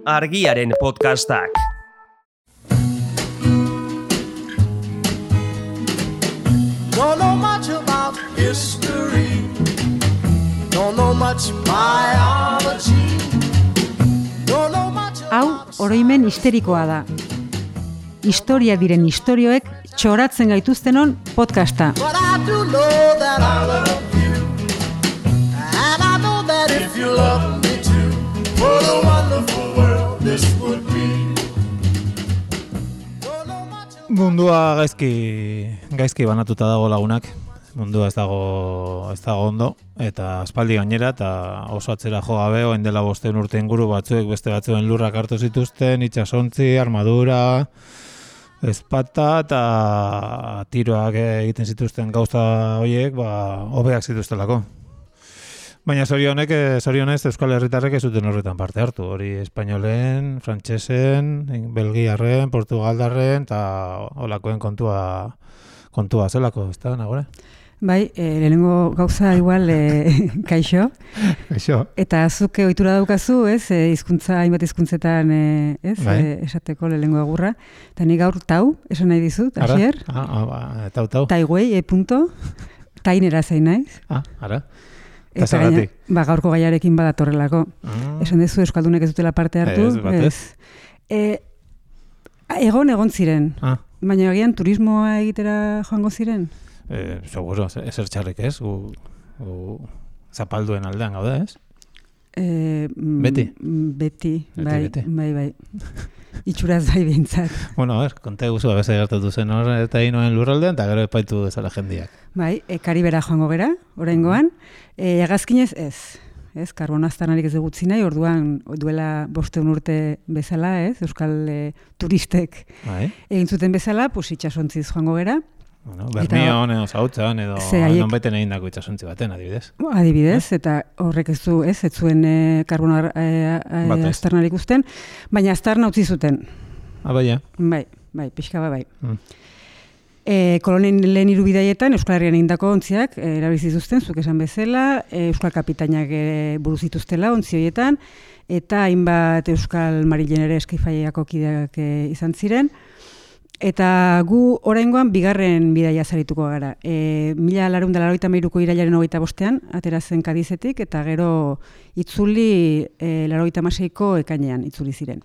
Argiaren podcastak. Don't know much about history. Don't know much biology. Don't know much. Hau oroimen histerikoa da. Historia diren istorioek txoratzen gaituztenon podcasta. But I do know that I love you. And I know that if you love me too, what a wonderful world this would be. Don't know much. Mundua gaizki banatuta dago lagunak. Mundua ez dago ondo eta aspaldi gainera eta oso atzera jo gabe orain dela 5 urte inguru batzuek beste batzuen lurrak hartu zituzten, itsasontzi, armadura, ezpata eta tiroak egiten zituzten gauza horiek, hobeak zituztelako. Baina zorionez Euskal Herritarrek ez zuten horretan parte hartu. Hori espainolen, frantsesen, belgiarren, portugaldarren eta holakoen kontua zelako, ez da, nagore? Bai, lehenengo gauza igual kaixo. Kaixo. Eta zuk ohitura daukazu, ez, hainbat hizkuntzetan, ez, Bai. esateko lehenengo agurra. Eta ni gaur tau, esan nahi dizut, Asier. Tau. Taiwei, tainera zain naiz. Ara. Eta zergatik? gaurko gaiarekin badatorrelako. Esan dezu Euskaldunek ez dutela parte hartu. Ez, batez. Egon ziren. Baina agian turismoa egitera joango ziren? Seguro, ezer txarrik ez, gu zapalduen aldean gaude, ez? Beti? Beti, bai. Itxuraz bai behintzat. Bueno, konta eguzu, abeza gertatu zen hor, eta inoen lurraldean, eta gero epaitu dezala jendiak. Bai, Karibera joango gera, oraingoan. Hegazkinez ez. Ez, karbono aztarnarik ez dugutzi nahi, orduan duela 5 urte bezala, ez, euskal turistek egin zuten bezala, itsasontziz joango gera. Bueno, Bermion edo Zautzan edo nonbeten egindako itsasontzi baten, adibidez. Adibidez, eta horrek ez zuen karbono aztarnarik uzten, baina aztarna utzi zuten. Baina? Bai, pixka bai. Kolonen lehen 3 bidaietan Euskal Herrian egindako ontziak erabili zituzten, zuk esan bezala, euskal kapitainak buru zituztela ontzi horietan, eta hainbat euskal marilen ere Eskifaiako kideak izan ziren. Eta gu oraingoan bigarren bidaia zarituko gara. 1983ko irailaren 25ean atera zen Kadizetik, eta gero itzuli 86ko ekainean itzuli ziren.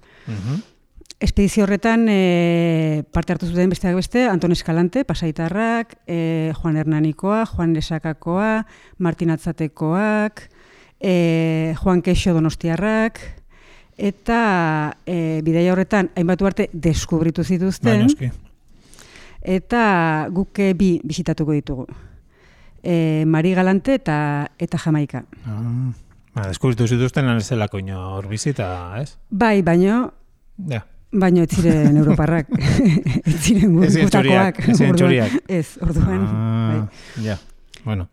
Espedizio horretan parte hartu zuten besteak beste, Anton Eskalante, Pasaitarrak, Juan Hernanikoa, Juan Lesakakoa, Martin Atzatekoak, Juan Kexo Donostiarrak, eta bidaia horretan hainbat arte deskubritu zituzten. Eta guk bi bisitatuko ditugu. Mari Galante eta Jamaika. Deskubritu zituzten anezelako hor bizita, ez? Bai, baino ez ziren europarrak, ez ziren gutakoak. Ez ziren txuriak. Ez, orduan. Bueno.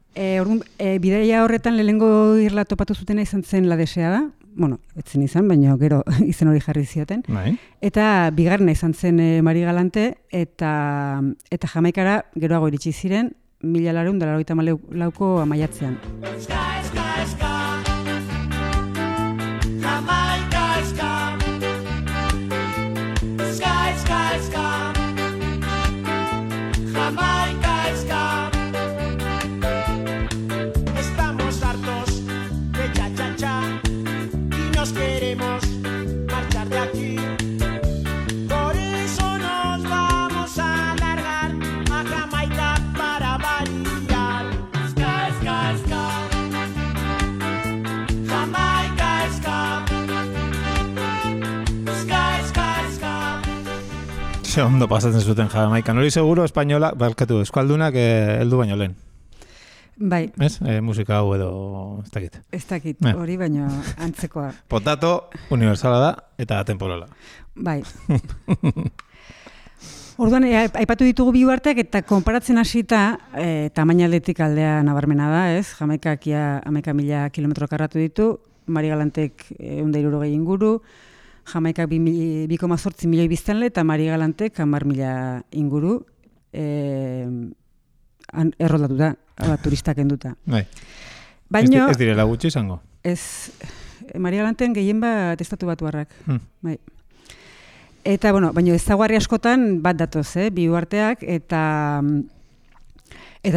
Bidaia horretan lehenengo irla topatu zutena izan zen La Deseada. Bueno, etzen izan, baina gero izen hori jarri zioten. Eta bigarrena izan zen Mari Galante, eta Jamaikara geroago iritsi ziren 1984ko maiatzean. Queremos marchar de aquí. Por eso nos vamos a largar a Jamaica para variar. Ska, ska, ska. Jamaica, ska. Ska, ska, ska. Ze ondo pasatzen zuten Jamaikan. Hori seguro espainola, barkatu, euskaldunak heldu baino lehen. Bai. Ez? Musika hau edo ez dakit. Ez dakit, hori baino antzekoa. Potato universala da eta atemporala. Bai. Orduan, aipatu ditugu bi uharteak eta konparatzen hasita tamainaldetik aldea nabarmena da, ez? Jamaikak 11.000 kilometro karratu ditu, Mari Galantek 160 inguru, Jamaikak 2,8 milioi biztanle eta Mari Galantek 10.000 inguru erroldatu da. Turistak enduta. Bai. Baino, ez direla gutxi izango? Ez, Maria Galanten gehien bat estatu batuarrak. Bai. Eta, bueno, baina ezaugarri askotan bat datoz, bi uharteak, eta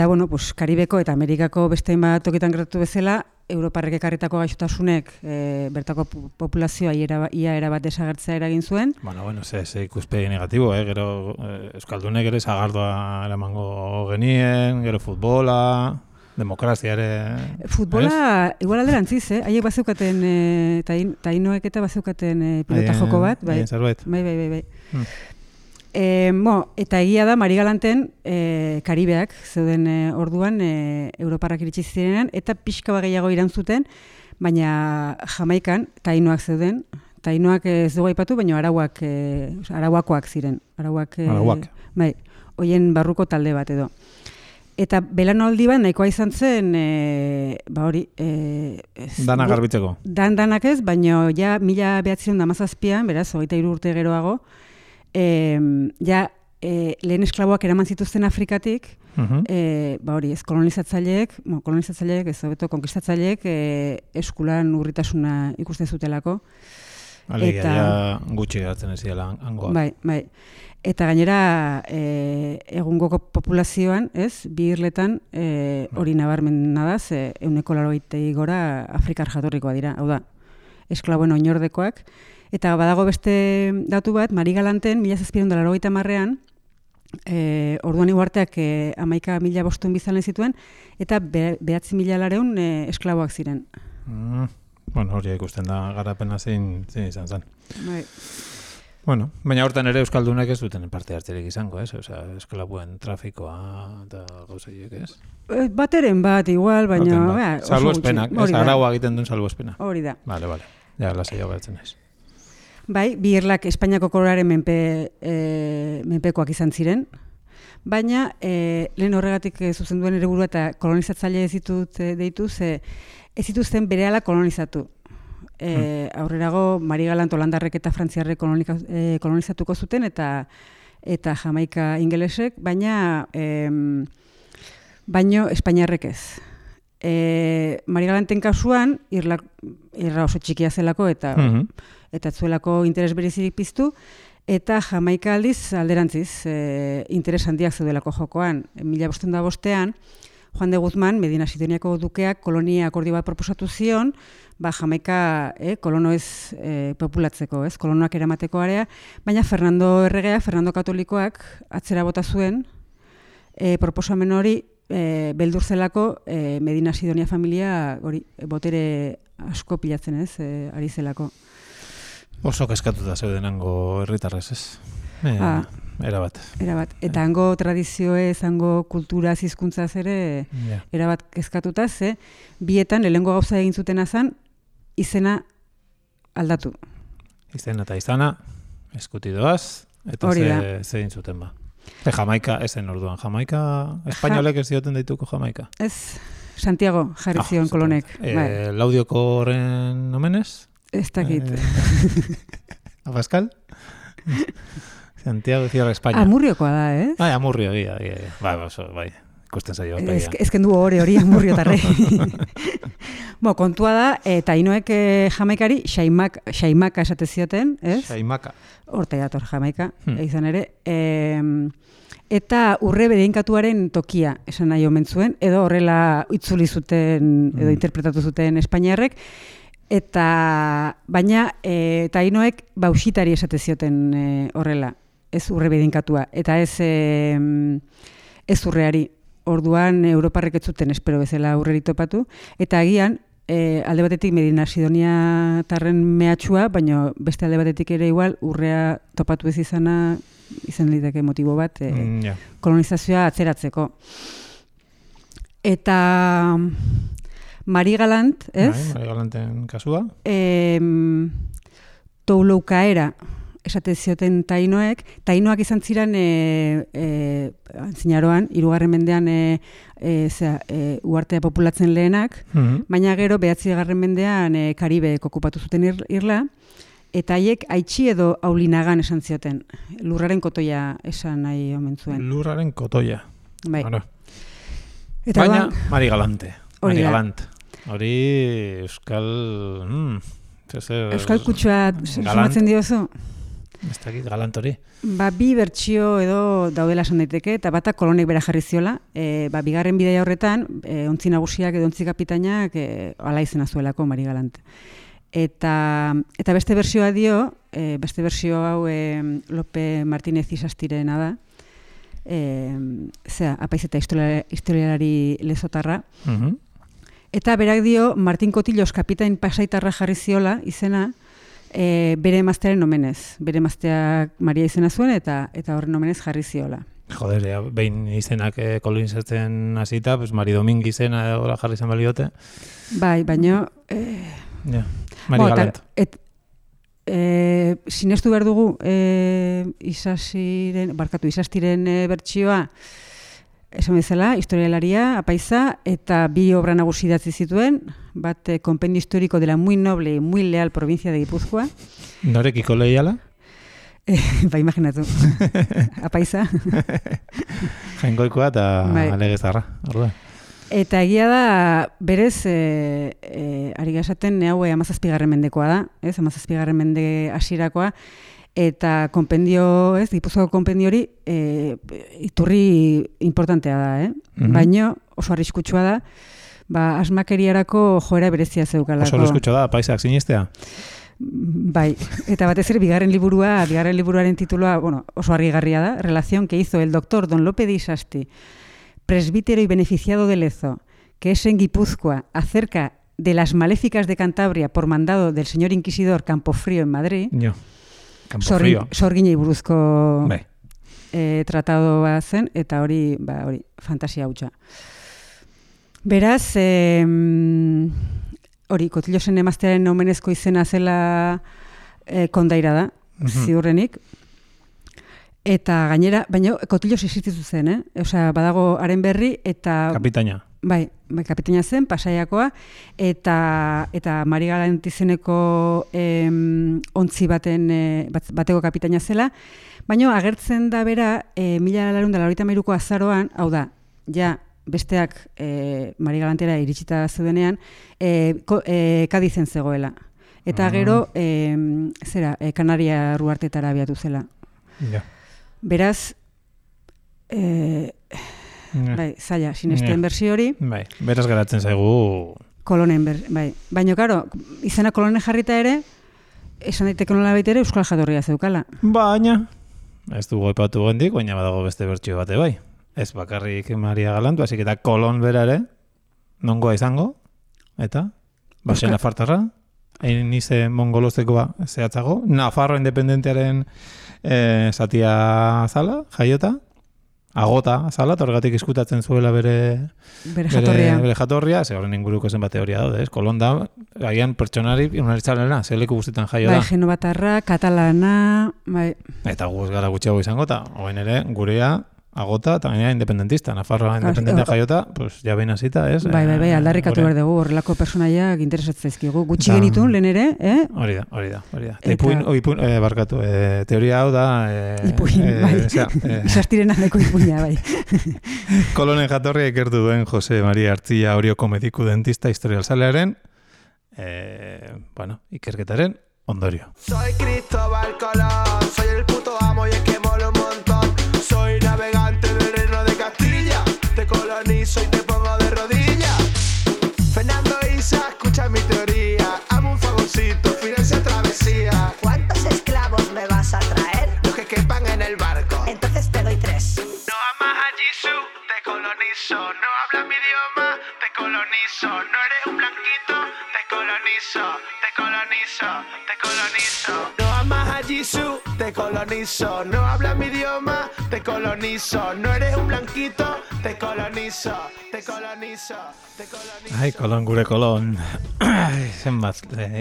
bueno, pues, Karibeko eta Amerikako beste bat tokitan gertatu bezala, Europarrek ekarritako gaixotasunek bertako populazioa ia erabat desagertzea eragin zuen. Bueno, ze ikuspegi negatibo, gero Euskaldunek ere zagardoa eramango genien, gero futbola, demokrazia ere... Futbola, igual alderantziz, haiek bazeukaten, tainoek eta bazeukaten pilota joko bat. Bai, bai. Eta egia da, Mari Galanten Karibeak zeuden orduan Europarrak iritsi zirenean, eta pixka bat gehiago irantzuten, baina Jamaikan tainoak zeuden. Tainoak ez dugu aipatu, baina arauakoak ziren. Arauak. Bai, hoien barruko talde bat edo. Eta belanaldi bat nahikoa izan zen, hori... Danak garbitzeko. Danak ez, baina ja 1917, beraz, 23 urte geroago, lehen esklaboak eraman zituzten Afrikatik, hori, ez kolonizatzaileek, ez hobeto konkistatzaileek eskulan urritasuna ikusten zutelako. Alegia, ja gutxi geratzen ez dela hangoa. Bai. Eta gainera, egungo populazioan, ez, bi irletan hori nabarmena da, 180 gora Afrikar jatorrikoa dira, hau da, esklaboen oinordekoak. Eta badago beste datu bat, Mari Galanten, 1780an, orduan uharteak 11.500 biztanle zituen, eta 9.000 esklaboak ziren. Bueno, hori ikusten da garapena zein izan zen. Bai. Bueno, baina hortan ere Euskaldunek ez duten parte hartzerik izango, ez? Osea, esklabuen trafikoa eta gauzaiek, ez? Bateren bat, igual, baina... Salbuespenak, ez? Araua egiten duen salbuespena. Hori da. Vale. Ja, lasai hau gertzen naiz. Bai, bi irlak Espainiako koroaren menpekoak izan ziren, baina lehen horregatik zuzenduen ere burua eta kolonizatzaile ez zituzten berehala kolonizatu. Aurrerago, Mari Galant Holandarrek eta Frantziarrek kolonizatuko zuten eta Jamaika ingelesek, baina Espainiarrek ez. Mari Galanten kasuan, irra oso txikia zelako eta zuelako interes berezirik piztu, eta Jamaika aldiz alderantziz interes handiak zeudelako jokoan. 1505an, Juan de Guzmán, Medina Sidoniako dukeak kolonia akordio bat proposatu zion, Jamaika kolono ez populatzeko, kolonoak eramateko area, baina Fernando Erregea, Fernando Katolikoak atzera bota zuen proposamen hori beldur zelako Medina Sidonia familia hori botere asko pilatzen ari zelako. Oso kezkatuta zeudenango herritarrez, ez? Erabat. Eta hango tradizioez, hango kulturaz, hizkuntzaz ere, erabat kezkatuta, bietan lehengo gauza egin zutena zen, izena aldatu. Izena eta izana, eskutidoaz, eta ze egin zuten ba. Jamaika, ezen orduan, Jamaika, espainolek ez dioten daituko Jamaika? Ez, Santiago jarri zion kolonek. Laudioko horren omenez? Ez dakit. Abascal? Santiago Zierra España. Amurriokoa da, ez? Amurrio, bai. Ikusten zaio. Ezken du hori amurriotarre. Kontua da, eta inoek Jamaikari Xaimaka esate zioten, ez? Xaimaka. Horta dator Jamaika, izan ere. Eta urre bedeinkatuaren tokia esan nahi omen zuen, edo horrela itzuli zuten, edo interpretatu zuten Espainiarrek, baina tainoek bausitari esate zioten horrela, ez urre bedinkatua, eta ez urreari. Orduan Europarrek ez zuten espero bezala urreri topatu, eta agian alde batetik Medina Sidonia tarren mehatxua, baina beste alde batetik ere igual urrea topatu ez izan liteke motibo bat kolonizazioa atzeratzeko. Eta Mari Galant, ez? Mari Galanten kasua. Touloukaera esate zioten tainoek izan ziren antzinaroan, 3. mendean uhartea populatzen lehenak, baina gero 9. mendean Karibek okupatu zuten irla, eta haiek Aitzi edo Aulinagan esan zioten. Lurraren kotoia esan nahi omen zuen. Lurraren kotoia. Bai. Bueno. Baina Mari Galante. Mari Galant. Hori euskal... Euskal kutsua sumatzen diozu? Ez dakit, galant hori. Bi bertsio edo daudela esan daiteke, eta bata kolonek bera jarri ziola, bigarren bidaia horretan, ontzi nagusiak edo ontzi kapitainak ala izena zuelako Mari Galant. Eta beste bertsioa dio, beste bertsio hau Lope Martínez Isastirena da, apaiz eta historialari lezotarra. Eta berak dio, Martin Cotillos kapitain pasaitarra jarri ziola izena, bere emaztearen omenez. Bere emazteak Maria izena zuen eta horren omenez jarri ziola. Joder, behin izenak kolonizatzen hasita, pues Mari Domingo izena jarri zen baliote. Bai, baino... Mari Galant. Sinestu behar dugu Isastiren bertsioa, esan bezala, historialaria, apaiza, eta bi obra nagusi idatzi zituen, bat Compendio Histórico de la muy noble y muy leal provincia de Gipuzkoa. Norekiko lehiala? Imaginatu. Apaiza. Jaingoikoa eta alegezarra. Eta egia da, berez, ari gazaten, hau 17. mendekoa da, 17. mende hasierakoa, eta konpendio, Gipuzkoako konpendio hori iturri importantea da, baino oso arriskutsua da, asmakeriarako joera berezia zeukalako. Oso arriskutsua da, paisak sinistea? Bai, eta batez ere bigarren liburuaren tituloa, oso harrigarria da, relación que hizo el doctor Don Lope de Isasti, presbítero y beneficiado de Lezo, que es en Guipúzcoa, acerca de las maléficas de Cantabria por mandado del señor inquisidor Campofrío en Madrid. Sorginei buruzko tratadoa zen, eta hori fantasia hutsa. Beraz, Cotillosen emaztearen omenezko izena zela kondaira da, ziurrenik. Eta gainera, baina Cotillos existitu zen, badago haren berri eta... Kapitaina. Bai, kapitaina zen, Pasaiakoa, eta Mari Galant izeneko ontzi bateko kapitaina zela, baina agertzen da bera 1993ko azaroan, hau da, ja besteak Mari Galantera iritsita zeudenean, Kadizen zegoela. Eta gero, Kanaria Ruartetara abiatu zela. Beraz, zaila, sinesten bersio hori. Bai, beraz geratzen zaigu... Kolonen, bai. Baina, karo, izena kolonen jarrita ere, esan daiteke nola baita ere, euskal jatorria zeukala. Baina, ez dugu aipatu gendik, baina badago beste bertsio bate bai. Ez bakarrik Maria Galant, hasik eta kolon bera ere, nongoa izango, eta, basen afartarra, hain ize mongolozekoa zehatzago, Nafarro independentearen zatia zala, jaiota, agota zala, torgatik izkutatzen zuela bere jatorria, ze horren inguruko zen bat teoria daude, kolon da, agian pertsonari unaritzalena, ze leku guztietan jaio da. Bai, genobatarra, katalana, bai. Eta guz gara gutxiago izango, eta hoen ere, gurea, agota, eta gainera independentista, Nafarroa independentea jaiota, pues ja behin hasita, ez? Bai, aldarrikatu behar dugu, horrelako personaiak interesatzen zaizkigu. Gutxi genitun, lehen ere, Hori da. Barkatu, teoria hau da... Ipuin, bai. Isastirena neko ipuina, bai. Kolonen jatorria ikertu duen Jose Maria Artzilla Orioko mediku dentista historialzalearen, ikerketaren ondorio. Soy Cristóbal Colón, soy el puto amo y es que molo un montón. Soy navegante del reino de Castilla, te colonizo y te pongo de rodillas. Fernando Isa, escucha mi teoría, amo un favorcito, financia travesía. ¿Cuántos esclavos me vas a traer? Los que quepan en el barco. Entonces te doy 3. No amas a Jesús, te colonizo. No hablas mi idioma, te colonizo. No eres un blanquito, te colonizo. No amas a Jesús, te colonizo. No hablas mi idioma, te colonizo. No eres un blanquito, te colonizo. Ai, kolon gure kolon. Zenbat,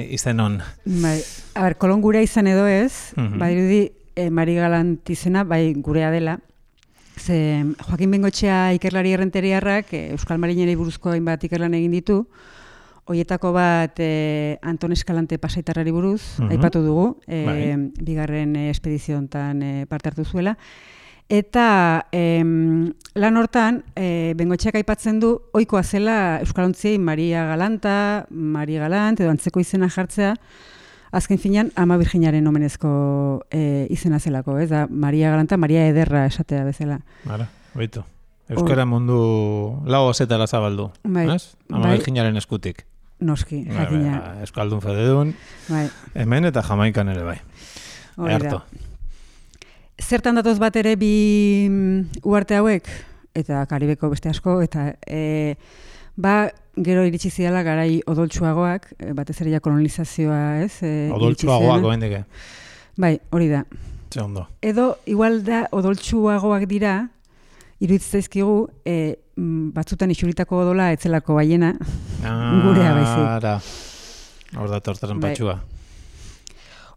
izen hon. Bai, kolon gure izan edo ez, badirudi Mari Galant izena, bai gurea dela. Ze Joaquin Bengoetxea ikerlari errenteriarrak Euskal Marineri buruzko hainbat ikerlan egin ditu. Hoietako bat Anton Eskalante pasaitarrari buruz, aipatu dugu, bigarren espedizio hontan parte hartu zuela. Eta lan hortan, Bengoetxeak aipatzen du, ohikoa zela euskalontziei Maria Galant, edo antzeko izena jartzea, azken finean, Ama Virginaren omenezko izena zelako, ez da, Maria Galanta, Maria Ederra esatea bezala. Bara, baitu. Euskara mundu lau zetara zabaldu, ez? Ama Virginaren eskutik. Noski, jakina. Euskaldun fededun, hemen eta Jamaikan ere bai. Earto. Zertan datoz bat ere bi uharte hauek, eta Karibeko beste asko, eta gero iritsi ziala garai odoltsuagoak, batez ere ja kolonizazioa, ez? Odoltsuagoak oendeke. Bai, hori da. Ze ondo. Edo, igual da, odoltsuagoak dira, iruditzezkigu, batzutan isuritako odola etzelako baiena, gurea baizik. Hor da tortaren patxua.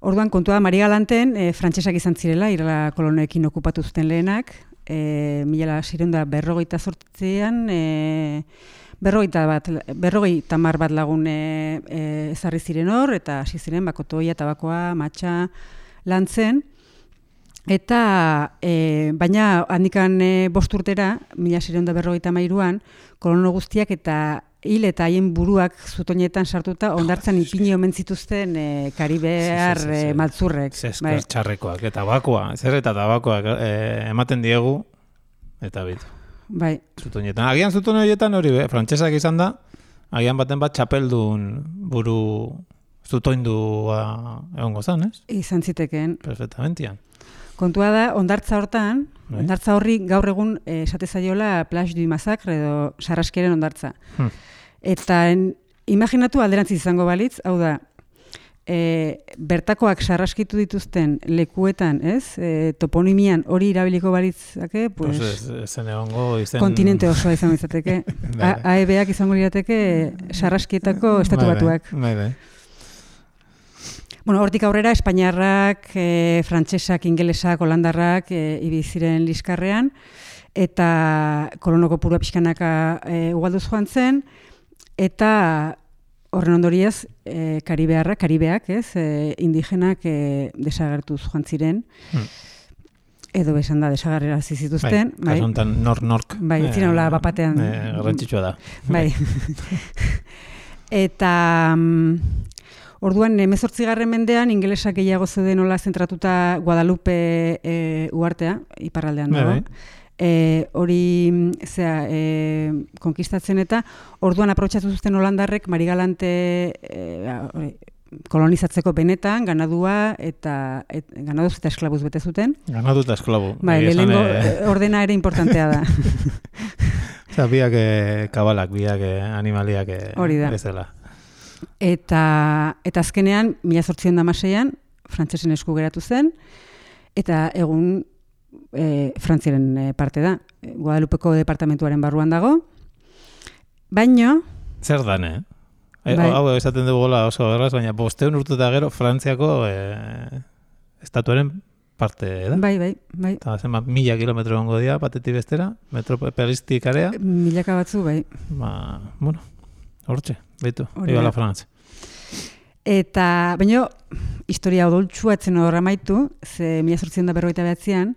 Orduan, kontua Maria Galanten, frantsesak izan zirela, irala kolonoekin okupatu zuten lehenak, 1648an, 50 bat lagun ezarri ziren hor, eta hasi ziren kotoia, tabakoa, matxa, lantzen. Eta, baina handikan 5 urtera, 1653an, kolono guztiak eta hil eta haien buruak zutoinetan sartuta ondartzan ipini omen zituzten karibear maltzurrek. Zeskar txarrekoak, eta tabakoa, zer eta tabakoak ematen diegu, eta bitu. Bai. Zutoinetan. Agian zuton horietan hori, frantsesak izan da, agian baten bat txapeldun buru zutoindua egongo zan, ez? Izan zitekeen. Perfectamentian. Kontua da, ondartza hortan, ondartza horri gaur egun esate zaiola Plage du Massacre edo sarraskiaren ondartza. Eta imaginatu alderantziz izango balitz, hau da, bertakoak sarraskitu dituzten lekuetan, ez? Toponimian hori irabiliko balitzake, pues, zen egongo izen... kontinente osoa izango izateke. AEB-ak izango lirateke sarraskietako estatu batuak. Bueno, hortik aurrera, espainiarrak, frantsesak, ingelesak, holandarrak ibiziren liskarrean, eta kolonoko purua pixkanaka ugalduz joan zen, eta horren ondoriez, karibeak, ez, indigenak desagertuz joan ziren, edo besan da, desagerrerazi zituzten. Bai, kasuntan nork. Bai, ziren hola bapatean. Garrantzitsua da. Bai. Eta... Orduan, 18. mendean, ingelesak gehiago zeuden nola zentratuta Guadalupe uhartea, iparraldean dago. Hori konkistatzen eta orduan aprobetxatu zuten holandarrek Mari Galante kolonizatzeko benetan, ganadua eta ganaduz eta esklabuz bete zuten. Ganadu eta esklabu. Bai, lehenengo ordena ere importantea da. Eta biak kabalak, biak animaliak bezala. Eta azkenean, 1816an, frantsesen esku geratu zen, eta egun Frantziaren parte da. Guadalupeko departamentuaren barruan dago. Baino... Zer dan, Hau esaten dugu gola oso erraz, baina 500 urte eta gero Frantziako estatuaren parte da. Bai. Eta zenbat 1000 kilometro gongo dira, batetik bestera, metropolistik area. Milaka batzu, bai. Bueno, hortxe, behitu, iba la Frantz. Eta, baina, historia odoltsua etzen horra maitu, ze 1859an,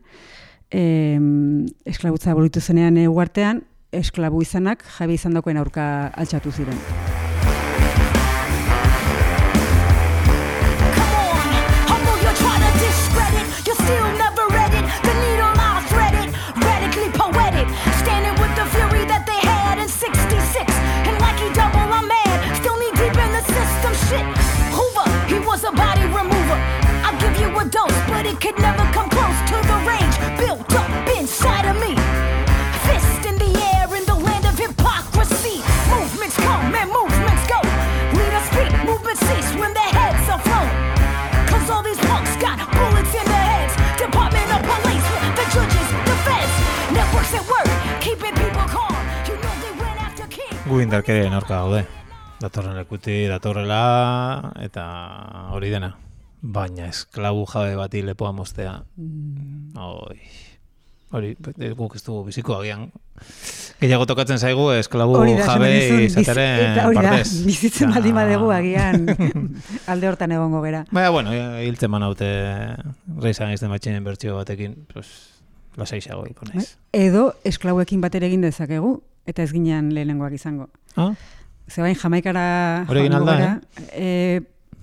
esklabutza abolitu zenean uhartean, esklabu izanak jabe izan dagoen aurka altxatu ziren. Could never come close to the range built up inside of me. Fist in the air in the land of hypocrisy. Movements come and movements go. Leaders speak, movements cease when their heads are flown. Cause all these punks got bullets in their heads. Department of Police, the judges, the feds. Networks at work, keeping people calm. You know they went after King. Gu indarkerien aurka gaude. Datorren lekuti, datorrela, eta hori dena. Baina esklabu jabe bati lepoa moztea. Hori, guk ez dugu biziko agian. Gehiago tokatzen zaigu esklabu jabe izateren partez. Bizitzen baldin badegu agian alde hortan egongo gera. Baina, bueno, hiltzen manaute reizan izten batxinen bertxio batekin. Pues, Lasaiago ikonez. Edo esklauekin batera egin dezakegu, eta ez ginean lehenengoak izango. Zebain Jamaikara Hore egin alda,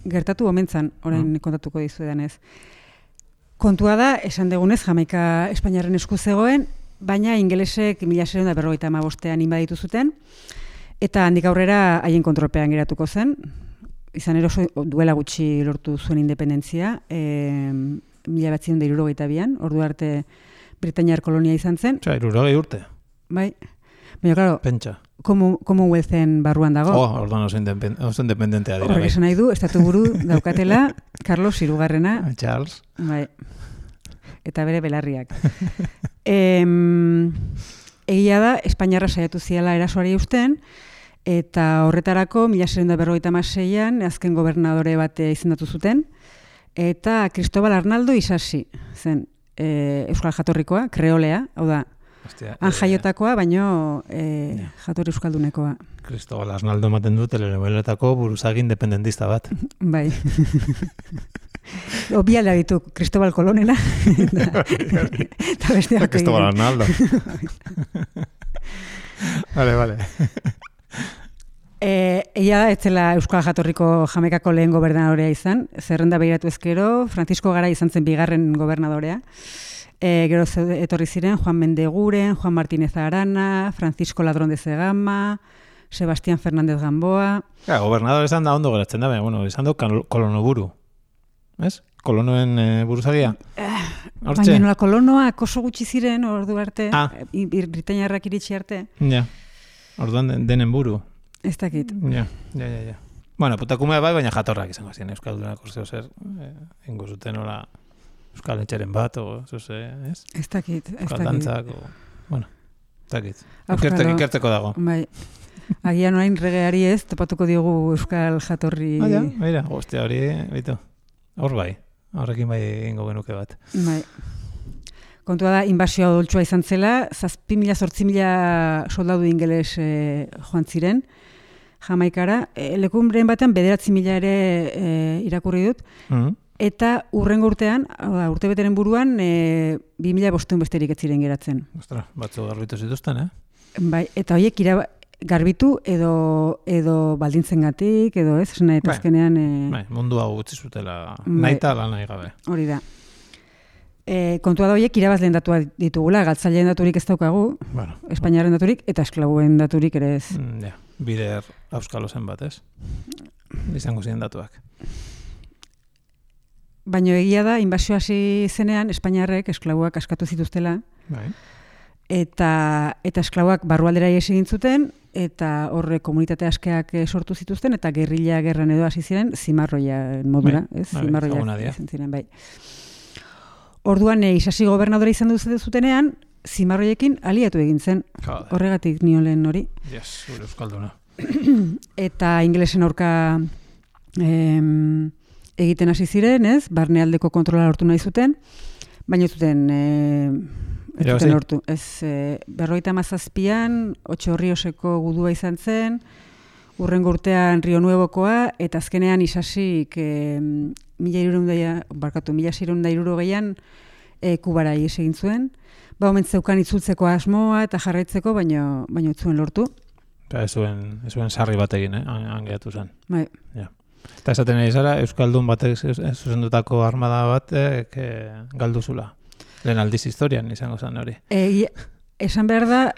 gertatu omentzan, orain kontatuko dizuedan ez. Kontua da, esan degunez, Jamaika Espainiarren esku zegoen, baina ingelesek 1755ean inbaditu zuten, eta handik aurrera haien kontrolpean geratuko zen. Izan ere oso duela gutxi lortu zuen independentzia, 1962an, ordu arte Britainiar kolonia izan zen. 60 urte. Bai. Baina, klaro, Pentsa. Commonwealthen barruan dago. Orduan oso independentea dira. Horrek esan nahi du, estatu buru daukatela Carlos Hirugarrena. Charles. Bai. Eta bere belarriak. Egia da, Espainiarra saiatu ziala erasoari usten, eta horretarako 1756an azken gobernadore bat izendatu zuten, eta Cristobal Arnaldo Isasi zen euskal jatorrikoa, kreolea, hau da, han jaiotakoa, baino jatorri euskaldunekoa. Cristobal Arnaldo ematen du telenoveletako buruzagi independentista bat. Bai. Obiala ditu Cristobal Colonena. Cristobal Arnaldo. Vale. Eia ez zela euskal jatorriko Jamaikako lehen gobernadorea izan, zerrenda begiratu ezkero, Francisco Garay izan zen bigarren gobernadorea. Gero etorri ziren Juan Mendeguren, Juan Martínez Arana, Francisco Ladrón de Zegama, Sebastián Fernández Gamboa. Gobernador esan da ondo geratzen da, bueno, esan du kolonoburu. Ez? Kolonoen buruzagia? Baina nola kolonoak oso gutxi ziren ordu arte, Britainiarrak iritsi arte. Ja, orduan denen buru. Ez dakit. Ja. Bueno, putakumea bai, baina jatorrak izango ziren, Euskaldunak uste zer, ingo zuten hola Euskal Etxeren bat, o zuse, ez? Ez dakit. Euskal dantzak, bueno, ez dakit. Ikerteko dago. Bai. Agian orain regeari ez, topatuko diogu Euskal jatorri... Baina, hostia hori, baitu. Hor bai, horrekin bai ingo genuke bat. Bai. Kontua da, inbasioa odoltsua izan zela, 7.000-8.000 soldadu ingeles joan ziren, Jamaikara. Lekunbren batean 9.000 ere irakurri dut, eta urrengo urtean, urtebeteren buruan, 2.500 besterik ez ziren geratzen. Ostra, batzu garbitu zituzten, Bai, eta horiek garbitu edo baldintzengatik, edo ez, esan nahi azkenean... Bai, mundua gutxi zutela, nahi eta lan nahi gabe. Hori da. Kontua da horiek irabazleen datuak ditugula, galtzaileen daturik ez daukagu, Espainiaren daturik, eta esklabuen daturik ere ez. Bider auskalo zen bat, ez? Izango ziren datuak. Baina egia da, inbasio hasi zenean, Espainiarrek esklabuak askatu zituztela, eta esklabuak barrualdera ihes egin zuten, eta horre komunitate askeak sortu zituzten, eta gerrilla gerran edo hasi ziren, zimarroia modura, ez? Zimarroia izan ziren, bai. Orduan, Isasi gobernadore izan duzutenean, zimarroiekin aliatu egin zen. Horregatik nion lehen hori. Yes, gure euskalduna. Eta ingelesen aurka egiten hasi ziren, ez? Barnealdeko kontrola lortu nahi zuten, baina zuten lortu. Ez, 57an, Otxorrioseko gudua izan zen, urrengo urtean Rio Nuevokoa, eta azkenean Isasik 1660an Kubara ihes egin zuen. Omen zeukan itzultzeko asmoa eta jarraitzeko, baina ez zuen lortu. Eta ez zuen sarri bat egin, angeatu zen. Bai. Eta esaten ari zara, Euskaldun batek zuzendutako armada bat galduzula. Lehen aldiz historian izango zen hori. Esan behar da,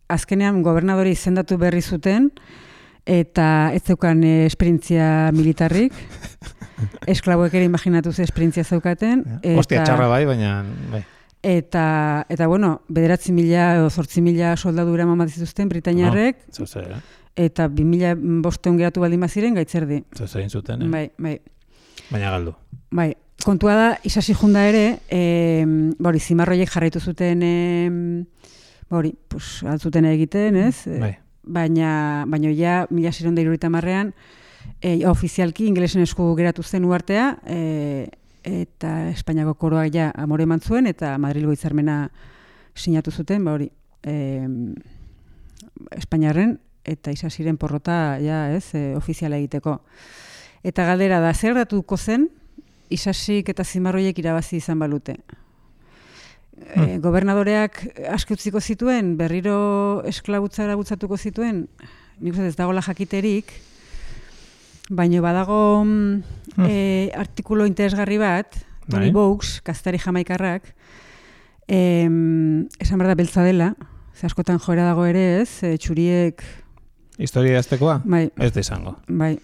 azkenean gobernadori izendatu berri zuten, eta ez zeukan esperientzia militarrik. Esklaboek ere imaginatu ze esperientzia zeukaten. Ostia txarra bai, baina... Eta bueno, 9.000 edo 8.000 soldadu eraman bat zituzten Britainiarrek, eta 2.500 geratu baldin baziren gaitzerdi. Zoze egin zuten, Bai. Baina galdu. Bai, kontua da, Isasi junda ere, zimarroiek jarraitu zuten, altzuten egiten, ez? Bai. Baina ja, 1670an, ofizialki ingelesen esku geratu zen uartea, eta Espainiako koroak ja amore eman zuen, eta Madrilgo hitzarmena sinatu zuten, Espainiarren eta Isasiren porrota ja, ez, ofiziala egiteko. Eta galdera da, zer datuko zen Isasik eta zimarroiek irabazi izan balute? gobernadoreak aske utziko zituen, berriro esklabutzara bultzatuko zituen, nik uste ez dagoela jakiterik, baina badago artikulu interesgarri bat, Tony Bowes, kazetari jamaikarrak, esan behar da beltza dela, ze askotan joera dago ere ez, txuriek... Historia aztekoa? Bai. Ez da izango. Bai.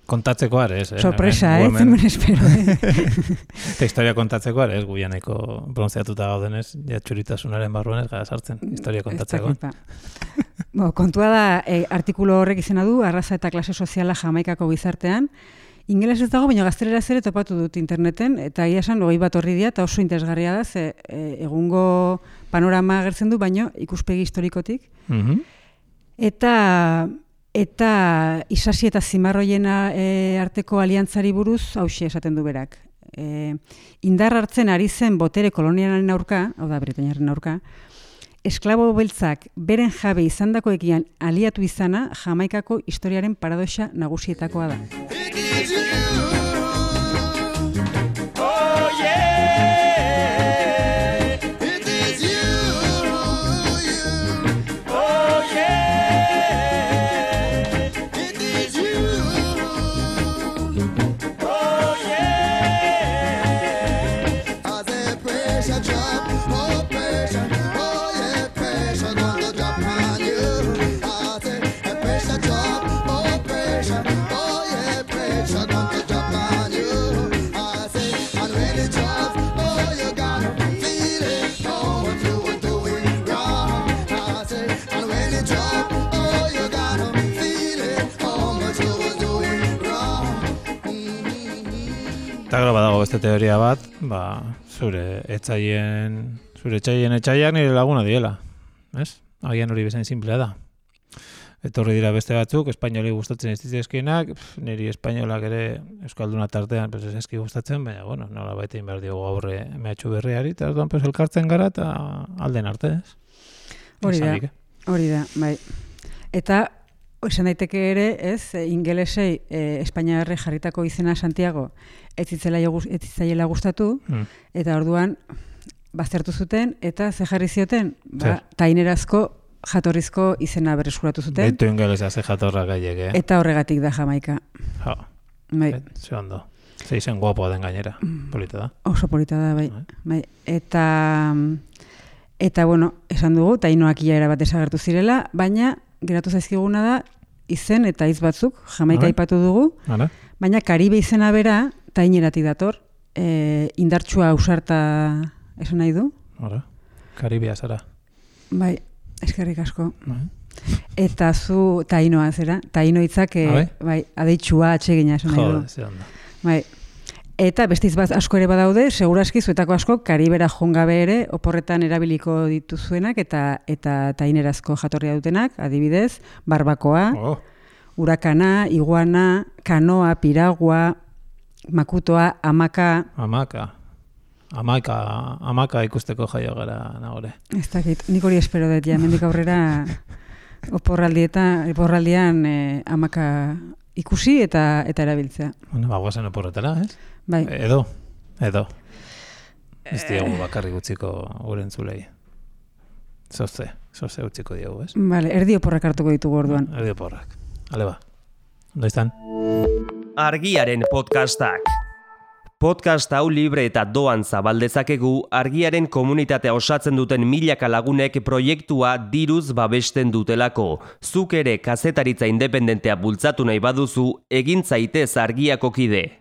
Kontatzeko ere ez. Sorpresa, zenben espero. Eta historia kontatzeko ere ez, guianeko bronzeatuta gaudenez, ja txuritasunaren barruan ez gara sartzen, historia kontatzeko. Kontua da, artikulu horrek izena du, arraza eta klase soziala Jamaikako gizartean, ingeles ez dago, baina gaztelera ere topatu dut interneten, eta egia esan 21 horri dia, eta oso interesgarria da, ze egungo panorama agertzen du, baino ikuspegi historikotik. Eta isasi eta zimarroiena arteko aliantzari buruz hauxe esaten du berak. Indar hartzen ari zen botere kolonialaren aurka, hau da Britainiaren aurka, esklabo beltzak beren jabe izandakoekin aliatu izana Jamaikako historiaren paradoxa nagusietakoa da. Eta gero badago beste teoria bat, zure etxaiak nire laguna diela, ez? Agian hori bezain simplea da. Etorri dira beste batzuk, espainoli gustatzen ez dizkienak, niri espainolak ere euskalduna tartean ez eski gustatzen, baina, bueno, nola baita inbar diogu aurre mehatxu berriari, eta orduan elkartzen gara eta alden arte, ez? Hori da, bai. Eta, esan daiteke ere, ez, ingelesei Espainiarre jarritako izena Santiago ez zitzaiela gustatu, eta orduan baztertu zuten, eta ze jarri zioten, tainerazko jatorrizko izena berreskuratu zuten. Beitu ingelesa ze jatorra gaiek, Eta horregatik da Jamaika. Ze ondo. Ze izen guapoa den gainera, polita da. Oso polita da, bai. Eta, bueno, esan dugu, tainoak ia bat desagertu zirela, baina geratu zaizkiguna da, izen eta hitz batzuk, Jamaika aipatu dugu, baina Karibe izena bera, taineratik dator, indartsua ausarta esan nahi du. Karibia zara. Bai, eskerrik asko. Eta zu tainoa zera, taino hitzak adeitsua atsegina esan nahi du. Ze ondo. Bai. Eta beste hitz bat asko ere badaude, segurazki zuetako asko Karibera jongabe ere oporretan erabiliko dituzuenak eta tainerazko jatorria dutenak, adibidez, barbakoa, urakana, iguana, kanoa, piragua, makutoa, amaka. Amaka ikusteko jaio gara nagore. Ez dakit, nik hori espero dut, mendik aurrera oporraldian amaka ikusi eta erabiltzea. Bueno, guazen oporretara, ez? Bai. Edo. Ez diogu bakarrik utziko gure entzulei. Zoze utziko diogu, ez? Vale, erdi oporrak hartuko ditugu orduan. Erdi oporrak. Ale ba. Ondo izan? Argiaren podcastak. Podcast hau libre eta doan zabaldezakegu Argiaren komunitatea osatzen duten milaka lagunek proiektua diruz babesten dutelako. Zuk ere kazetaritza independentea bultzatu nahi baduzu, egin zaitez Argiako kide.